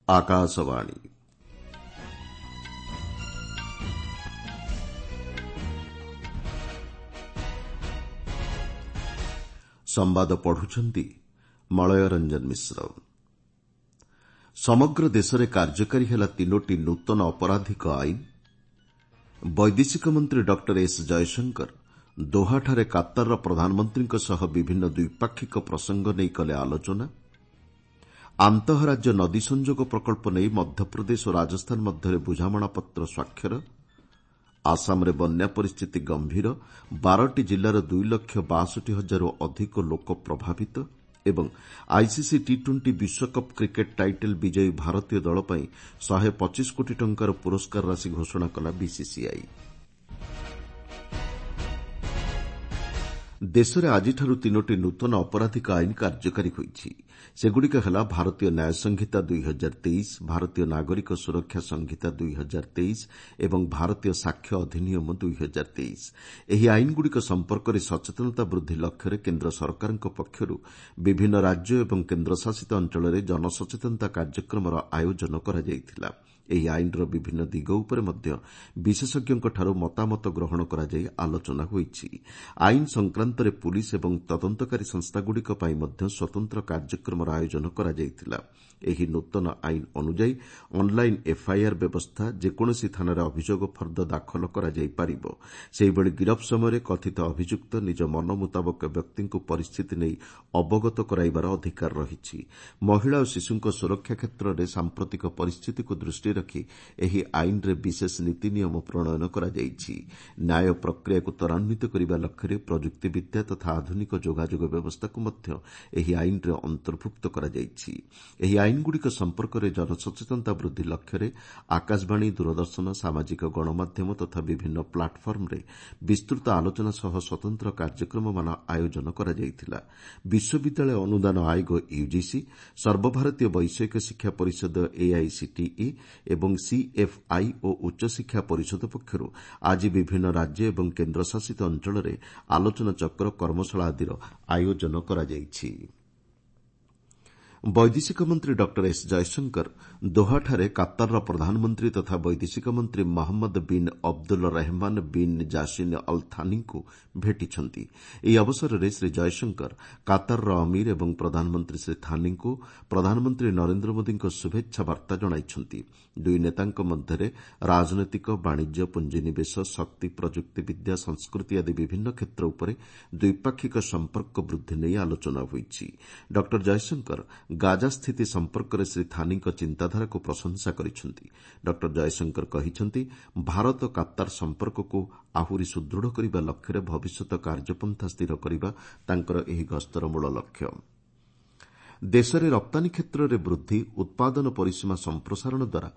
ଆକାଶବାଣୀ। ସମ୍ବାଦ ପଢୁଛନ୍ତି ମଳୟ ରଞ୍ଜନ ମିଶ୍ର। ସମଗ୍ର ଦେଶରେ କାର୍ଯ୍ୟକାରୀ ହେଲା ତିନୋଟି ନୂତନ ଅପରାଧିକ ଆଇନ। ବୈଦେଶିକ ମନ୍ତ୍ରୀ ଡକ୍ଟର ଏସ୍ ଜୟଶଙ୍କର ଦୋହାଠାରେ କାତାରର ପ୍ରଧାନମନ୍ତ୍ରୀଙ୍କ ସହ ବିଭିନ୍ନ ଦ୍ୱିପାକ୍ଷିକ ପ୍ରସଙ୍ଗ ନେଇ କଲେ ଆଲୋଚନା। ଆନ୍ତଃରାଜ୍ୟ ନଦୀ ସଂଯୋଗ ପ୍ରକଳ୍ପ ନେଇ ମଧ୍ୟପ୍ରଦେଶ ଓ ରାଜସ୍ଥାନ ମଧ୍ୟରେ ବୁଝାମଣାପତ୍ର ସ୍ୱାକ୍ଷର। ଆସାମରେ ବନ୍ୟା ପରିସ୍ଥିତି ଗମ୍ଭୀର, 12ଟି ଜିଲ୍ଲାର 2 ଲକ୍ଷ 62 ହଜାରରୁ ଅଧିକ ଲୋକ ପ୍ରଭାବିତ ଏବଂ ଆଇସିସି ଟି ଟ୍ୱେଣ୍ଟି ବିଶ୍ୱକପ୍ କ୍ରିକେଟ୍ ଟାଇଟଲ୍ ବିଜୟୀ ଭାରତୀୟ ଦଳ ପାଇଁ 125 କୋଟି ଟଙ୍କାର ପୁରସ୍କାର ରାଶି ଘୋଷଣା କଲା ବିସିସିଆଇ। ଦେଶରେ ଆଜିଠାରୁ ତିନୋଟି ନୂତନ ଅପରାଧିକ ଆଇନ କାର୍ଯ୍ୟକାରୀ ହୋଇଛି। ସେଗୁଡ଼ିକ ହେଲା ଭାରତୀୟ ନ୍ୟାୟ ସଂହିତା 2023, ଭାରତୀୟ ନାଗରିକ ସୁରକ୍ଷା ସଂହିତା 2023 ଏବଂ ଭାରତୀୟ ସାକ୍ଷ୍ୟ ଅଧିନିୟମ 2023। ଏହି ଆଇନଗୁଡ଼ିକ ସମ୍ପର୍କରେ ସଚେତନତା ବୃଦ୍ଧି ଲକ୍ଷ୍ୟରେ କେନ୍ଦ୍ର ସରକାରଙ୍କ ପକ୍ଷରୁ ବିଭିନ୍ନ ରାଜ୍ୟ ଏବଂ କେନ୍ଦ୍ରଶାସିତ ଅଞ୍ଚଳରେ ଜନସଚେତନତା କାର୍ଯ୍ୟକ୍ରମର ଆୟୋଜନ କରାଯାଇଥିଲା। ଏହି ଆଇନର ବିଭିନ୍ନ ଦିଗ ଉପରେ ମଧ୍ୟ ବିଶେଷଜ୍ଞଙ୍କଠାରୁ ମତାମତ ଗ୍ରହଣ କରାଯାଇ ଆଲୋଚନା ହୋଇଛି। ଆଇନ ସଂକ୍ରାନ୍ତରେ ପୁଲିସ୍ ଏବଂ ତଦନ୍ତକାରୀ ସଂସ୍ଥାଗୁଡ଼ିକ ପାଇଁ ମଧ୍ୟ ସ୍ୱତନ୍ତ୍ର କାର୍ଯ୍ୟକ୍ରମର ଆୟୋଜନ କରାଯାଇଥିଲା। ଏହି ନୂତନ ଆଇନ ଅନୁଯାୟୀ ଅନ୍ଲାଇନ୍ ଏଫ୍ଆଇଆର୍ ବ୍ୟବସ୍ଥା, ଯେକୌଣସି ଥାନାରେ ଅଭିଯୋଗ ଫର୍ଦ୍ଦ ଦାଖଲ କରାଯାଇପାରିବ। ସେହିଭଳି ଗିରଫ ସମୟରେ କଥିତ ଅଭିଯୁକ୍ତ ନିଜ ମନ ମୁତାବକ ବ୍ୟକ୍ତିଙ୍କୁ ପରିସ୍ଥିତି ନେଇ ଅବଗତ କରାଇବାର ଅଧିକାର ରହିଛି। ମହିଳା ଓ ଶିଶୁଙ୍କ ସୁରକ୍ଷା କ୍ଷେତ୍ରରେ ସାମ୍ପ୍ରତିକ ପରିସ୍ଥିତିକୁ ଦୃଷ୍ଟିରେ ରଖି ଏହି ଆଇନରେ ବିଶେଷ ନୀତି ନିୟମ ପ୍ରଣୟନ କରାଯାଇଛି। ନ୍ୟାୟ ପ୍ରକ୍ରିୟାକୁ ତ୍ୱରାନ୍ୱିତ କରିବା ଲକ୍ଷ୍ୟରେ ପ୍ରଯୁକ୍ତିବିଦ୍ୟା ତଥା ଆଧୁନିକ ଯୋଗାଯୋଗ ବ୍ୟବସ୍ଥାକୁ ମଧ୍ୟ ଏହି ଆଇନରେ ଅନ୍ତର୍ଭୁକ୍ତ କରାଯାଇଛି। ଏହି ଆଇନଗୁଡ଼ିକ ସମ୍ପର୍କରେ ଜନସଚେତନତା ବୃଦ୍ଧି ଲକ୍ଷ୍ୟରେ ଆକାଶବାଣୀ, ଦୂରଦର୍ଶନ, ସାମାଜିକ ଗଣମାଧ୍ୟମ ତଥା ବିଭିନ୍ନ ପ୍ଲାଟଫର୍ମରେ ବିସ୍ତୃତ ଆଲୋଚନା ସହ ସ୍ୱତନ୍ତ୍ର କାର୍ଯ୍ୟକ୍ରମମାନ ଆୟୋଜନ କରାଯାଇଥିଲା। ବିଶ୍ୱବିଦ୍ୟାଳୟ ଅନୁଦାନ ଆୟୋଗ ୟୁଜିସି, ସର୍ବଭାରତୀୟ ବୈଷୟିକ ଶିକ୍ଷା ପରିଷଦ ଏଆଇସିଟିଇ ଏବଂ ସିଏଫ୍ଆଇ ଓ ଉଚ୍ଚଶିକ୍ଷା ପରିଷଦ ପକ୍ଷରୁ ଆଜି ବିଭିନ୍ନ ରାଜ୍ୟ ଏବଂ କେନ୍ଦ୍ରଶାସିତ ଅଞ୍ଚଳରେ ଆଲୋଚନାଚକ୍ର, କର୍ମଶାଳା ଆଦିର ଆୟୋଜନ କରାଯାଇଛି। ବୈଦେଶିକ ମନ୍ତ୍ରୀ ଡକ୍ଟର ଏସ୍ ଜୟଶଙ୍କର ଦୋହାଠାରେ କାତାରର ପ୍ରଧାନମନ୍ତ୍ରୀ ତଥା ବୈଦେଶିକ ମନ୍ତ୍ରୀ Mohammed bin Abdul Rahman bin Jassim Al ଥାନିଙ୍କୁ ଭେଟିଛନ୍ତି। ଏହି ଅବସରରେ ଶ୍ରୀ ଜୟଶଙ୍କର କାତାରର ଅମିର ଏବଂ ପ୍ରଧାନମନ୍ତ୍ରୀ ଶ୍ରୀ ଥାନିଙ୍କୁ ପ୍ରଧାନମନ୍ତ୍ରୀ ନରେନ୍ଦ୍ର ମୋଦିଙ୍କ ଶୁଭେଚ୍ଛା ବାର୍ତ୍ତା ଜଣାଇଛନ୍ତି। ଦୁଇ ନେତାଙ୍କ ମଧ୍ୟରେ ରାଜନୈତିକ, ବାଣିଜ୍ୟ, ପୁଞ୍ଜିନିବେଶ, ଶକ୍ତି, ପ୍ରଯୁକ୍ତିବିଦ୍ୟା, ସଂସ୍କୃତି ଆଦି ବିଭିନ୍ନ କ୍ଷେତ୍ର ଉପରେ ଦ୍ୱିପାକ୍ଷିକ ସମ୍ପର୍କ ବୃଦ୍ଧି ନେଇ ଆଲୋଚନା ହୋଇଛି। ଡକ୍ଟର ଜୟଶଙ୍କର ଗାଜା ସ୍ଥିତି ସମ୍ପର୍କରେ ଶ୍ରୀ ଥାନିଙ୍କ ଚିନ୍ତାଧାରାକୁ ପ୍ରଶଂସା କରିଛନ୍ତି। ଡକ୍ଟର ଜୟଶଙ୍କର କହିଛନ୍ତି, ଭାରତ କାତାର ସମ୍ପର୍କକୁ ଆହୁରି ସୁଦୃଢ଼ କରିବା ଲକ୍ଷ୍ୟରେ ଭବିଷ୍ୟତ କାର୍ଯ୍ୟପନ୍ଥା ସ୍ଥିର କରିବା ତାଙ୍କର ଏହି ଗସ୍ତର ମୂଳ ଲକ୍ଷ୍ୟ। ଦେଶରେ ରପ୍ତାନୀ କ୍ଷେତ୍ରରେ ବୃଦ୍ଧି, ଉତ୍ପାଦନ ପରିସୀମା ସମ୍ପ୍ରସାରଣ ଦ୍ୱାରା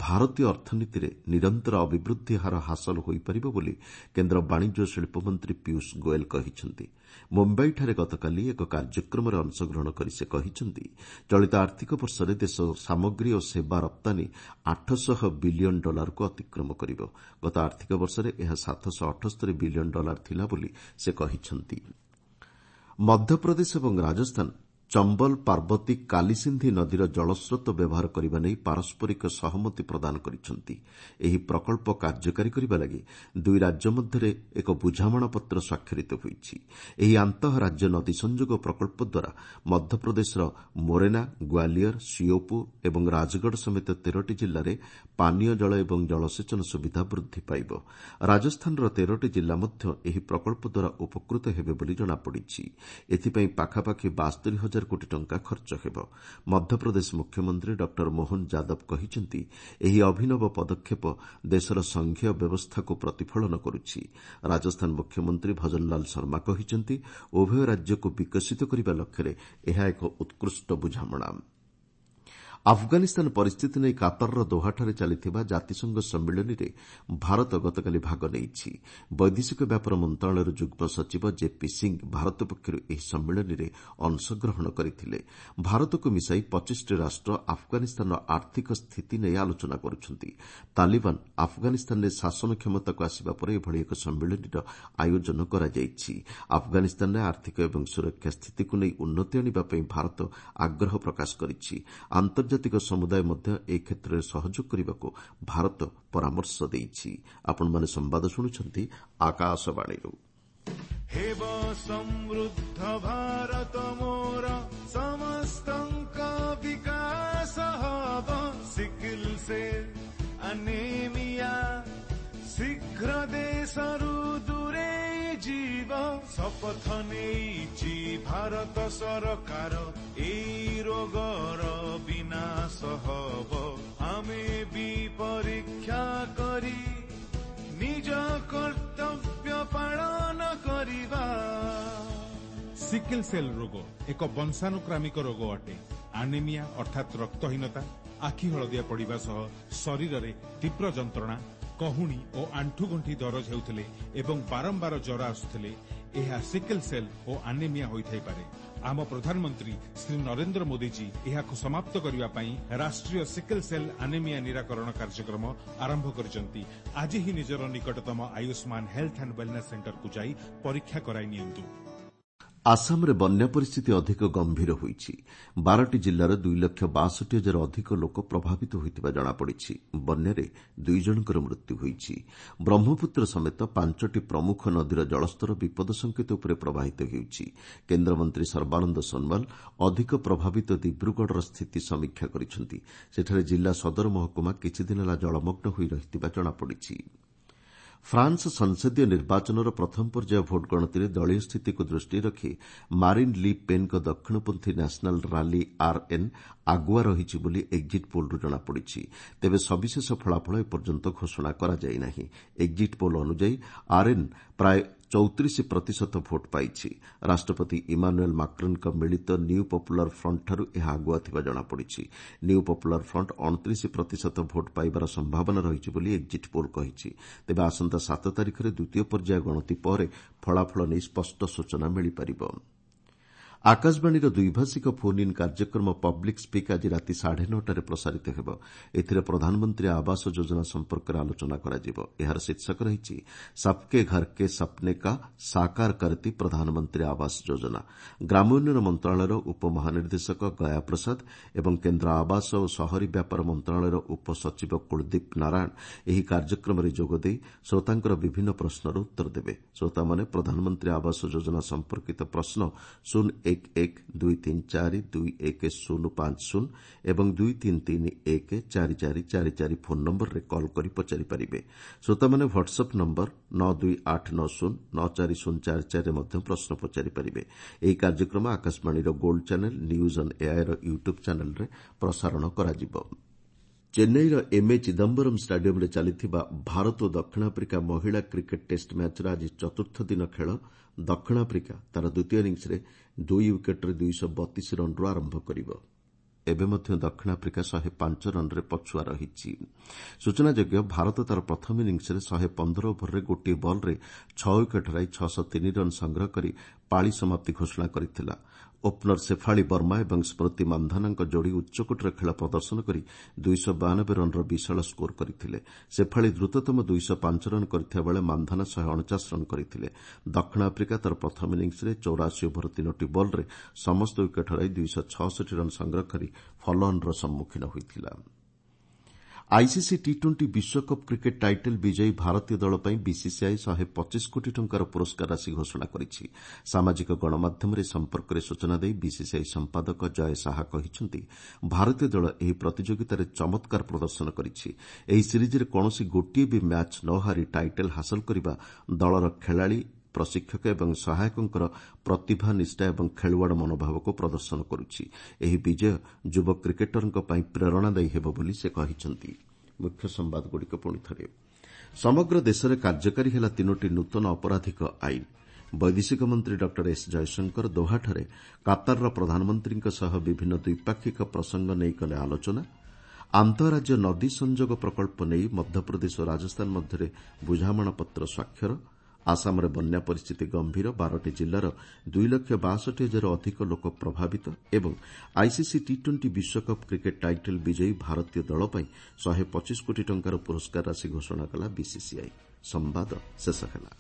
ଭାରତୀୟ ଅର୍ଥନୀତିରେ ନିରନ୍ତର ଅଭିବୃଦ୍ଧି ହାର ହାସଲ ହୋଇପାରିବ ବୋଲି କେନ୍ଦ୍ର ବାଣିଜ୍ୟ ଓ ଶିଳ୍ପମନ୍ତ୍ରୀ ପୀୟୁଷ ଗୋଏଲ କହିଛନ୍ତି। ମୁମ୍ବାଇଠାରେ ଗତକାଲି ଏକ କାର୍ଯ୍ୟକ୍ରମରେ ଅଂଶଗ୍ରହଣ କରି ସେ କହିଛନ୍ତି, ଚଳିତ ଆର୍ଥିକ ବର୍ଷରେ ଦେଶ ସାମଗ୍ରୀ ଓ ସେବା ରପ୍ତାନୀ 800 ବିଲିୟନ ଡଲାରକୁ ଅତିକ୍ରମ କରିବ। ଗତ ଆର୍ଥିକ ବର୍ଷରେ ଏହା 778 ବିଲିୟନ ଡଲାର ଥିଲା ବୋଲି ସେ କହିଛନ୍ତି। ମଧ୍ୟପ୍ରଦେଶ ଏବଂ ରାଜସ୍ଥାନ ଚମ୍ବଲ ପାର୍ବତୀ କାଲିସିନ୍ଧି ନଦୀର ଜଳସ୍ରୋତ ବ୍ୟବହାର କରିବା ନେଇ ପାରସ୍ପରିକ ସହମତି ପ୍ରଦାନ କରିଛନ୍ତି। ଏହି ପ୍ରକଳ୍ପ କାର୍ଯ୍ୟକାରୀ କରିବା ଲାଗି ଦୁଇ ରାଜ୍ୟ ମଧ୍ୟରେ ଏକ ବୁଝାମଣାପତ୍ର ସ୍ୱାକ୍ଷରିତ ହୋଇଛି। ଏହି ଆନ୍ତଃରାଜ୍ୟ ନଦୀ ସଂଯୋଗ ପ୍ରକଳ୍ପ ଦ୍ୱାରା ମଧ୍ୟପ୍ରଦେଶର ମୋରେନା, ଗ୍ୱାଲିୟର, ସିଓପୁର ଏବଂ ରାଜଗଡ଼ ସମେତ 13ଟି ଜିଲ୍ଲାରେ ପାନୀୟ ଜଳ ଏବଂ ଜଳସେଚନ ସୁବିଧା ବୃଦ୍ଧି ପାଇବ। ରାଜସ୍ଥାନର 13ଟି ଜିଲ୍ଲା ମଧ୍ୟ ଏହି ପ୍ରକଳ୍ପ ଦ୍ୱାରା ଉପକୃତ ହେବେ ବୋଲି ଜଣାପଡ଼ିଛି। ଏଥିପାଇଁ ପାଖାପାଖି 72 ହଜାର କୋଟି ଟଙ୍କା ଖର୍ଚ୍ଚ ହେବ। ମଧ୍ୟପ୍ରଦେଶ ମୁଖ୍ୟମନ୍ତ୍ରୀ ଡକ୍ଟର ମୋହନ ଯାଦବ କହିଛନ୍ତି, ଏହି ଅଭିନବ ପଦକ୍ଷେପ ଦେଶର ସଂଘୀୟ ବ୍ୟବସ୍ଥାକୁ ପ୍ରତିଫଳନ କରୁଛି। ରାଜସ୍ଥାନ ମୁଖ୍ୟମନ୍ତ୍ରୀ ଭଜନଲାଲ ଶର୍ମା କହିଛନ୍ତି, ଉଭୟ ରାଜ୍ୟକୁ ବିକଶିତ କରିବା ଲକ୍ଷ୍ୟରେ ଏହା ଏକ ଉତ୍କୃଷ୍ଟ ବୁଝାମଣା। ଆଫଗାନିସ୍ତାନ ପରିସ୍ଥିତି ନେଇ କାତାରର ଦୋହାଠାରେ ଚାଲିଥିବା ଜାତିସଂଘ ସମ୍ମିଳନୀରେ ଭାରତ ଗତକାଲି ଭାଗ ନେଇଛି। ବୈଦେଶିକ ବ୍ୟାପାର ମନ୍ତ୍ରଣାଳୟର ଯୁଗ୍ମ ସଚିବ ଜେପି ସିଂ ଭାରତ ପକ୍ଷରୁ ଏହି ସମ୍ମିଳନୀରେ ଅଂଶଗ୍ରହଣ କରିଥିଲେ। ଭାରତକୁ ମିଶାଇ 25ଟି ରାଷ୍ଟ୍ର ଆଫଗାନିସ୍ତାନର ଆର୍ଥିକ ସ୍ଥିତି ନେଇ ଆଲୋଚନା କରୁଛନ୍ତି। ତାଲିବାନ ଆଫଗାନିସ୍ତାନରେ ଶାସନ କ୍ଷମତାକୁ ଆସିବା ପରେ ଏଭଳି ଏକ ସମ୍ମିଳନୀର ଆୟୋଜନ କରାଯାଇଛି। ଆଫଗାନିସ୍ତାନରେ ଆର୍ଥିକ ଏବଂ ସୁରକ୍ଷା ସ୍ଥିତିକୁ ନେଇ ଉନ୍ନତି ଆଣିବା ପାଇଁ ଭାରତ ଆଗ୍ରହ ପ୍ରକାଶ କରିଛି। ଆନ୍ତର୍ଜାତିକ ସମୁଦାୟ ମଧ୍ୟ ଏ କ୍ଷେତ୍ରରେ ସହଯୋଗ କରିବାକୁ ଭାରତ ପରାମର୍ଶ ଦେଇଛି। ଆପଣମାନେ ସମ୍ବାଦ ଶୁଣୁଛନ୍ତି ଆକାଶବାଣୀରୁ। ହେବ ସମୃଦ୍ଧ ଭାରତ ମୋର, ସମସ୍ତଙ୍କ ବିକାଶ ହବ। ସିକିଲ ସେଲ୍ ଆନେମିଆ ଶୀଘ୍ର ଦେଶରୁ ଦୂରେଇ ଯିବ। ଶପଥ ନେଇଛି ଭାରତ ସରକାର, ଏଇ ରୋଗର ବିନାଶ ହବ। ଆମେ ବି ପରୀକ୍ଷା କରି ନିଜ କର୍ତ୍ତବ୍ୟ ପାଳନ କରିବା। ସିକିଲ ସେଲ୍ ରୋଗ ଏକ ବଂଶାନୁକ୍ରାମିକ ରୋଗ ଅଟେ। ଆନେମିଆ ଅର୍ଥାତ୍ ରକ୍ତହୀନତା, ଆଖି ହଳଦିଆ ପଡ଼ିବା ସହ ଶରୀରରେ ତୀବ୍ର ଯନ୍ତ୍ରଣା, କହୁଣୀ ଓ ଆଣ୍ଠୁଗଣ୍ଠି ଦରଜ ହେଉଥିଲେ ଏବଂ ବାରମ୍ବାର ଜ୍ୱର ଆସୁଥିଲେ ଏହା ସିକିଲ ସେଲ୍ ଓ ଆନେମିଆ ହୋଇଥାଇପାରେ। ଆମ ପ୍ରଧାନମନ୍ତ୍ରୀ ଶ୍ରୀ ନରେନ୍ଦ୍ର ମୋଦିଜୀ ଏହାକୁ ସମାପ୍ତ କରିବା ପାଇଁ ରାଷ୍ଟ୍ରୀୟ ସିକିଲ ସେଲ୍ ଆନେମିଆ ନିରାକରଣ କାର୍ଯ୍ୟକ୍ରମ ଆରମ୍ଭ କରିଛନ୍ତି। ଆଜି ହିଁ ନିଜର ନିକଟତମ ଆୟୁଷ୍ମାନ ହେଲ୍ଥ ଆଣ୍ଡ ୱେଲନେସ୍ ସେଣ୍ଟରକୁ ଯାଇ ପରୀକ୍ଷା କରାଇ ନିଅନ୍ତୁ। ଆସାମରେ ବନ୍ୟା ପରିସ୍ଥିତି ଅଧିକ ଗମ୍ଭୀର ହୋଇଛି। 12ଟି ଜିଲ୍ଲାର 2 ଲକ୍ଷ 62 ହଜାର ଅଧିକ ଲୋକ ପ୍ରଭାବିତ ହୋଇଥିବା ଜଣାପଡ଼ିଛି। ବନ୍ୟାରେ 2 ଜଣଙ୍କର ମୃତ୍ୟୁ ହୋଇଛି। ବ୍ରହ୍ମପୁତ୍ର ସମେତ 5ଟି ପ୍ରମୁଖ ନଦୀର ଜଳସ୍ତର ବିପଦ ସଙ୍କେତ ଉପରେ ପ୍ରବାହିତ ହେଉଛି। କେନ୍ଦ୍ରମନ୍ତ୍ରୀ ସର୍ବାନନ୍ଦ ସୋନୱାଲ ଅଧିକ ପ୍ରଭାବିତ ଦିବ୍ରୁଗଡ଼ର ସ୍ଥିତି ସମୀକ୍ଷା କରିଛନ୍ତି। ସେଠାରେ ଜିଲ୍ଲା ସଦର ମହକୁମା କିଛିଦିନ ହେଲା ଜଳମଗ୍ନ ହୋଇ ରହିଥିବା ଜଣାପଡ଼ିଛି। ଫ୍ରାନ୍ସ ସଂସଦୀୟ ନିର୍ବାଚନର ପ୍ରଥମ ପର୍ଯ୍ୟାୟ ଭୋଟ ଗଣତିରେ ଦଳୀୟ ସ୍ଥିତିକୁ ଦୃଷ୍ଟିରେ ରଖି ମାରିନ୍ ଲି ପେନ୍ଙ୍କ ଦକ୍ଷିଣପନ୍ଥୀ ନ୍ୟାସନାଲ୍ ରାଲି ଆର୍ଏନ୍ ଆଗୁଆ ରହିଛି ବୋଲି ଏକ୍ଜିଟ୍ ପୋଲ୍ରୁ ଜଣାପଡ଼ିଛି। ତେବେ ସବିଶେଷ ଫଳାଫଳ ଏପର୍ଯ୍ୟନ୍ତ ଘୋଷଣା କରାଯାଇ ନାହିଁ। ଏକ୍ଜିଟ୍ ପୋଲ୍ ଅନୁଯାୟୀ ଆର୍ଏନ୍ ପ୍ରାୟ 34 ପ୍ରତିଶତ ଭୋଟ୍ ପାଇଛି। ରାଷ୍ଟ୍ରପତି ଇମାନୁଏଲ୍ ମାକ୍ରନ୍ଙ୍କ ମିଳିତ ନ୍ୟୁ ପପୁଲାର ଫ୍ରଣ୍ଟଠାରୁ ଏହା ଆଗୁଆ ଥିବା ଜଣାପଡ଼ିଛି। ନ୍ୟୁ ପପୁଲାର ଫ୍ରଣ୍ଟ 29 ପ୍ରତିଶତ ଭୋଟ୍ ପାଇବାର ସମ୍ଭାବନା ରହିଛି ବୋଲି ଏକ୍ଜିଟ୍ ପୋଲ୍ କହିଛି। ତେବେ ଆସନ୍ତା 7 ତାରିଖରେ ଦ୍ୱିତୀୟ ପର୍ଯ୍ୟାୟ ଗଣତି ପରେ ଫଳାଫଳ ନେଇ ସ୍ପଷ୍ଟ ସୂଚନା ମିଳିପାରିବ। ଆକାଶବାଣୀର ଦ୍ୱିଭାଷିକ ଫୋନ୍ ଇନ୍ କାର୍ଯ୍ୟକ୍ରମ ପବ୍ଲିକ୍ ସ୍ପିକ୍ ଆଜି ରାତି 9:30ରେ ପ୍ରସାରିତ ହେବ। ଏଥିରେ ପ୍ରଧାନମନ୍ତ୍ରୀ ଆବାସ ଯୋଜନା ସମ୍ପର୍କରେ ଆଲୋଚନା କରାଯିବ। ଏହାର ଶୀର୍ଷକ ରହିଛି ସବ୍କେ ଘର୍ କେ ସପ୍ନେ କା ସାକାର କରତି ପ୍ରଧାନମନ୍ତ୍ରୀ ଆବାସ ଯୋଜନା। ଗ୍ରାମୋନ୍ନୟନ ମନ୍ତ୍ରଣାଳୟର ଉପମହାନିର୍ଦ୍ଦେଶକ ଗୟା ପ୍ରସାଦ ଏବଂ କେନ୍ଦ୍ର ଆବାସ ଓ ସହରୀ ବ୍ୟାପାର ମନ୍ତ୍ରଣାଳୟର ଉପସଚିବ କୁଳଦୀପ ନାରାୟଣ ଏହି କାର୍ଯ୍ୟକ୍ରମରେ ଯୋଗଦେଇ ଶ୍ରୋତାଙ୍କର ବିଭିନ୍ନ ପ୍ରଶ୍ନର ଉତ୍ତର ଦେବେ। ଶ୍ରୋତାମାନେ ପ୍ରଧାନମନ୍ତ୍ରୀ ଆବାସ ଯୋଜନା ସମ୍ପର୍କିତ ପ୍ରଶ୍ନ 0 1 1 2 3 4 2 1 0 5 0 ଏବଂ 2 3 3 1 4 4 4 4 ଫୋନ୍ ନମ୍ବରରେ କଲ୍ କରି ପଚାରିପାରିବେ। ଶ୍ରୋତାମାନେ ହ୍ୱାଟ୍ସଆପ୍ ନମ୍ବର 9 2 8 9 0 9 4 0 4 4ରେ ମଧ୍ୟ ପ୍ରଶ୍ନ ପଚାରିପାରିବେ। ଏହି କାର୍ଯ୍ୟକ୍ରମ ଆକାଶବାଣୀର gold channel, news on AIR YouTube ଚ୍ୟାନେଲ୍ରେ ପ୍ରସାରଣ କରାଯିବ। ଚେନ୍ନାଇର ଏମ୍ଏ ଚିଦାମ୍ବରମ୍ ଷ୍ଟାଡିୟମ୍ରେ ଚାଲିଥିବା ଭାରତ ଓ ଦକ୍ଷିଣ ଆଫ୍ରିକା ମହିଳା କ୍ରିକେଟ୍ ଟେଷ୍ଟ ମ୍ୟାଚ୍ର ଆଜି ଚତୁର୍ଥ ଦିନ ଖେଳ। ଦକ୍ଷିଣ ଆଫ୍ରିକା ତା'ର ଦ୍ୱିତୀୟ ଇନିଂସରେ 2 ୱିକେଟ୍ରେ 232 ରନ୍ରୁ ଆରମ୍ଭ କରିବ। ଏବେ ମଧ୍ୟ ଦକ୍ଷିଣ ଆଫ୍ରିକା 105 ରନ୍ରେ ପଛୁଆ ରହିଛି। ସୂଚନାଯୋଗ୍ୟ, ଭାରତ ତା'ର ପ୍ରଥମ ଇନିଂସରେ 115 ଓଭରରେ ଗୋଟିଏ ବଲ୍ରେ 6 ୱିକେଟ୍ ହରାଇ 603 ରନ୍ ସଂଗ୍ରହ କରି ପାଳି ସମାପ୍ତି ଘୋଷଣା କରିଥିଲା। ଓପନର ଶେଫାଳି ବର୍ମା ଏବଂ ସ୍ମୃତି ମାନ୍ଧାନାଙ୍କ ଯୋଡ଼ି ଉଚ୍ଚକୋଟୀର ଖେଳ ପ୍ରଦର୍ଶନ କରି 292 ରନ୍ର ବିଶାଳ ସ୍କୋର କରିଥିଲେ। ଶେଫାଳି ଦ୍ରୁତତମ 205 ରନ୍ କରିଥିବା ବେଳେ ମାନ୍ଧାନା 149 ରନ୍ କରିଥିଲେ। ଦକ୍ଷିଣ ଆଫ୍ରିକା ତା'ର ପ୍ରଥମ ଇନିଂସରେ 84 ଓଭର 3ଟି ବଲ୍ରେ ସମସ୍ତ ୱିକେଟ୍ ହରାଇ 266 ରନ୍ ସଂଗ୍ରହ କରି ଫଲୋଅନ୍ର ସମ୍ମୁଖୀନ ହୋଇଥିଲା। ଆଇସିସି ଟି ଟ୍ୱେଣ୍ଟି ବିଶ୍ୱକପ୍ କ୍ରିକେଟ୍ ଟାଇଟଲ୍ ବିଜୟୀ ଭାରତୀୟ ଦଳ ପାଇଁ ବିସିସିଆଇ 125 କୋଟି ଟଙ୍କାର ପୁରସ୍କାର ରାଶି ଘୋଷଣା କରିଛି। ସାମାଜିକ ଗଣମାଧ୍ୟମରେ ଏ ସମ୍ପର୍କରେ ସୂଚନା ଦେଇ ବିସିସିଆଇ ସମ୍ପାଦକ ଜୟ ଶାହା କହିଛନ୍ତି, ଭାରତୀୟ ଦଳ ଏହି ପ୍ରତିଯୋଗିତାରେ ଚମତ୍କାର ପ୍ରଦର୍ଶନ କରିଛି। ଏହି ସିରିଜ୍ରେ କୌଣସି ଗୋଟିଏ ବି ମ୍ୟାଚ୍ ନ ହାରି ଟାଇଟଲ୍ ହାସଲ କରିବା ଦଳର ଖେଳାଳି, ପ୍ରଶିକ୍ଷକ ଏବଂ ସହାୟକଙ୍କର ପ୍ରତିଭା, ନିଷ୍ଠା ଏବଂ ଖେଳୁଆଡ଼ ମନୋଭାବକୁ ପ୍ରଦର୍ଶନ କରୁଛି। ଏହି ବିଜୟ ଯୁବ କ୍ରିକେଟରଙ୍କ ପାଇଁ ପ୍ରେରଣାଦାୟୀ ହେବ ବୋଲି ସେ କହିଛନ୍ତି। ମୁଖ୍ୟ ସମ୍ବାଦଗୁଡ଼ିକ ପୁଣି ଥରେ। ସମଗ୍ର ଦେଶରେ କାର୍ଯ୍ୟକାରୀ ହେଲା 3ଟି ନୂତନ ଅପରାଧିକ ଆଇନ। ବୈଦେଶିକ ମନ୍ତ୍ରୀ ଡକ୍ଟର ଏସ୍ ଜୟଶଙ୍କର ଦୋହାଠାରେ କାତାରର ପ୍ରଧାନମନ୍ତ୍ରୀଙ୍କ ସହ ବିଭିନ୍ନ ଦ୍ୱିପାକ୍ଷିକ ପ୍ରସଙ୍ଗ ନେଇ କଲେ ଆଲୋଚନା। ଆନ୍ତଃରାଜ୍ୟ ନଦୀ ସଂଯୋଗ ପ୍ରକଳ୍ପ ନେଇ ମଧ୍ୟପ୍ରଦେଶ ଓ ରାଜସ୍ଥାନ ମଧ୍ୟରେ ବୁଝାମଣାପତ୍ର ସ୍ୱାକ୍ଷର। ଆସାମରେ ବନ୍ୟା ପରିସ୍ଥିତି ଗମ୍ଭୀର, 12ଟି ଜିଲ୍ଲାର 2 ଲକ୍ଷ 62 ହଜାର ଅଧିକ ଲୋକ ପ୍ରଭାବିତ। ଏବଂ ଆଇସିସି ଟି ଟ୍ୱେଣ୍ଟି ବିଶ୍ୱକପ୍ କ୍ରିକେଟ୍ ଟାଇଟଲ୍ ବିଜୟୀ ଭାରତୀୟ ଦଳ ପାଇଁ 125 କୋଟି ଟଙ୍କାର ପୁରସ୍କାର ରାଶି ଘୋଷଣା କଲା ବିସିସିଆଇ। ସମ୍ବାଦ ଶେଷ ହେଲା।